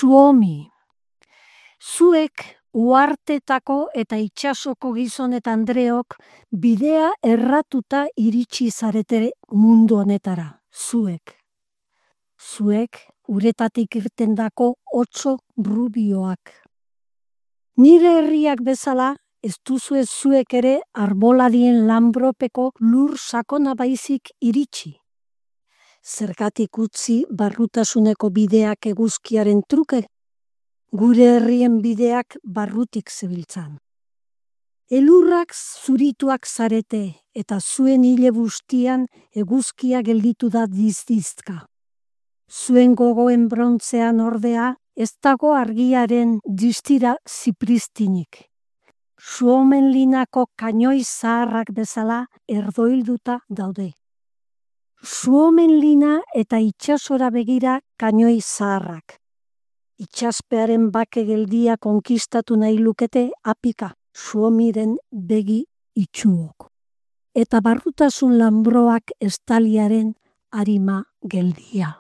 Suomi. Zuek uhartetako eta itsasoko gizon eta andreok bidea erratuta iritsi zarete mundu honetara. Zuek. Zuek uretatik irtendako otso rubioak. Nire herriak bezala, ez duzue zuek ere arboladien lanbropeko lur sakona baizik iritsi. Zergatik utzi barrutasuneko bideak eguzkiaren truke? Gure herrien bideak barrutik zebiltzan. Elurrak zurituak zarete eta zuen hile bustian eguzkia gelditu da dizdizka. Zuen gogoen brontzean ordea ez dago argiaren distira zipristinik. Suomenlinako kainoi zaharrak bezala erdoilduta daude. Suomenlina eta itsasora begira kainoi zaharrak. Itsaspearen bake geldia konkistatu nahi lukete apika Suomiren begi itxuok. Eta barrutasun lanbroak estaliaren arima geldia.